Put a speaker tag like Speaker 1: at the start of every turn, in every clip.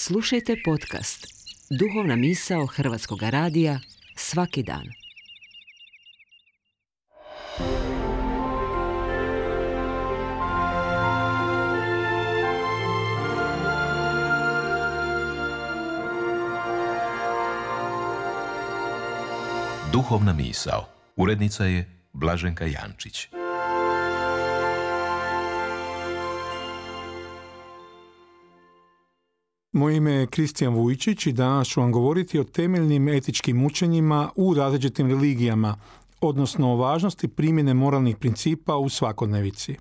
Speaker 1: Slušajte podcast Duhovna misao Hrvatskog radija svaki dan.
Speaker 2: Duhovna misao. Urednica je Blaženka Jančić.
Speaker 3: Moje ime je Kristijan Vujčić i danas ću vam govoriti o temeljnim etičkim učenjima u različitim religijama, odnosno o važnosti primjene moralnih principa u svakodnevici.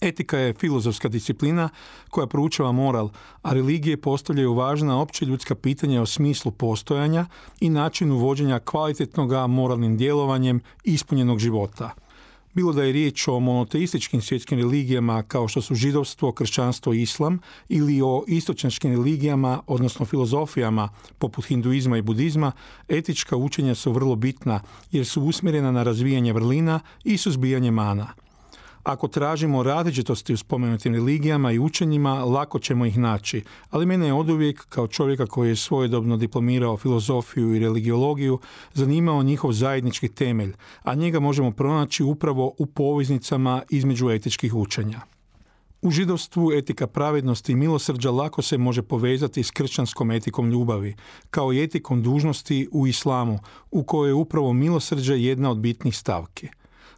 Speaker 3: Etika je filozofska disciplina koja proučava moral, a religije postavljaju važna opće ljudska pitanja o smislu postojanja i načinu vođenja kvalitetnog moralnim djelovanjem ispunjenog života. Bilo da je riječ o monoteističkim svjetskim religijama kao što su židovstvo, kršćanstvo i islam, ili o istočnjačkim religijama, odnosno filozofijama poput hinduizma i budizma, etička učenja su vrlo bitna jer su usmjerena na razvijanje vrlina i suzbijanje mana. Ako tražimo različitosti u spomenutim religijama i učenjima, lako ćemo ih naći, ali mene je oduvijek, kao čovjeka koji je svojedobno diplomirao filozofiju i religiologiju, zanimao njihov zajednički temelj, a njega možemo pronaći upravo u poveznicama između etičkih učenja. U židovstvu etika pravednosti i milosrđa lako se može povezati s kršćanskom etikom ljubavi, kao i etikom dužnosti u islamu, u kojoj je upravo milosrđe jedna od bitnih stavki.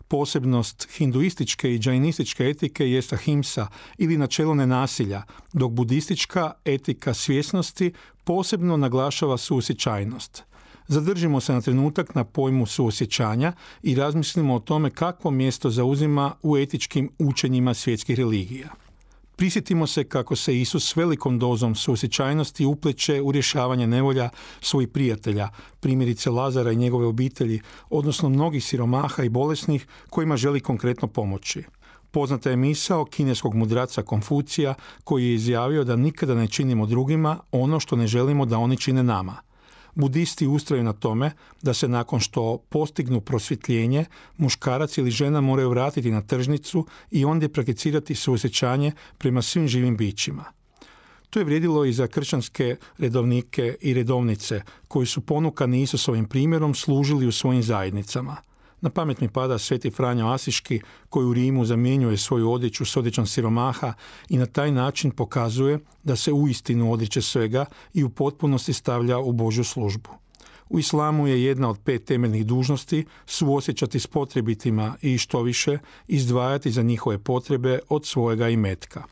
Speaker 3: Posebnost hinduističke i džainističke etike jest ahimsa ili načelo nenasilja, dok budistička etika svjesnosti posebno naglašava suosjećajnost. Zadržimo se na trenutak na pojmu suosjećanja i razmislimo o tome kakvo mjesto zauzima u etičkim učenjima svjetskih religija. Prisjetimo se kako se Isus s velikom dozom suosjećajnosti upleće u rješavanje nevolja svojih prijatelja, primjerice Lazara i njegove obitelji, odnosno mnogih siromaha i bolesnih kojima želi konkretno pomoći. Poznata je misao kineskog mudraca Konfucija koji je izjavio da nikada ne činimo drugima ono što ne želimo da oni čine nama. Budisti ustraju na tome da se nakon što postignu prosvjetljenje, muškarac ili žena moraju vratiti na tržnicu i ondje prakticirati suosjećanje prema svim živim bićima. To je vrijedilo i za kršćanske redovnike i redovnice koji su ponukani Isusovim primjerom služili u svojim zajednicama. Na pamet mi pada Sveti Franjo Asiški koji u Rimu zamjenjuje svoju odjeću s odjećom siromaha i na taj način pokazuje da se uistinu odriče svega i u potpunosti stavlja u Božju službu. U islamu je jedna od 5 temeljnih dužnosti suosjećati s potrebitima i što više izdvajati za njihove potrebe od svojega imetka.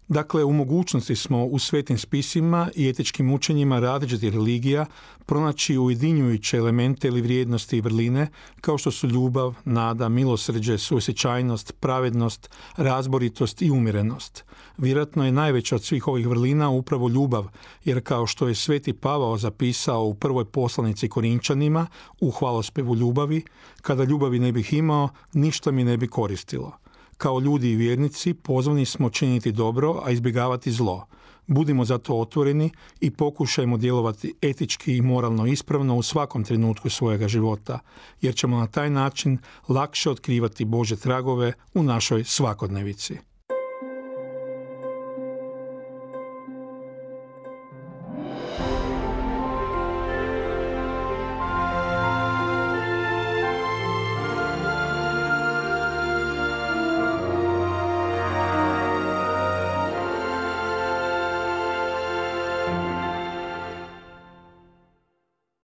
Speaker 3: Dakle, u mogućnosti smo u svetim spisima i etičkim učenjima različitih religija pronaći ujedinjujuće elemente ili vrijednosti i vrline kao što su ljubav, nada, milosrđe, suosjećajnost, pravednost, razboritost i umjerenost. Vjerojatno je najveća od svih ovih vrlina upravo ljubav, jer kao što je Sveti Pavao zapisao u prvoj poslanici Korinčanima u hvalospevu ljubavi, kada ljubavi ne bih imao, ništa mi ne bi koristilo. Kao ljudi i vjernici pozvani smo činiti dobro, a izbjegavati zlo. Budimo zato otvoreni i pokušajmo djelovati etički i moralno ispravno u svakom trenutku svojega života, jer ćemo na taj način lakše otkrivati Božje tragove u našoj svakodnevici.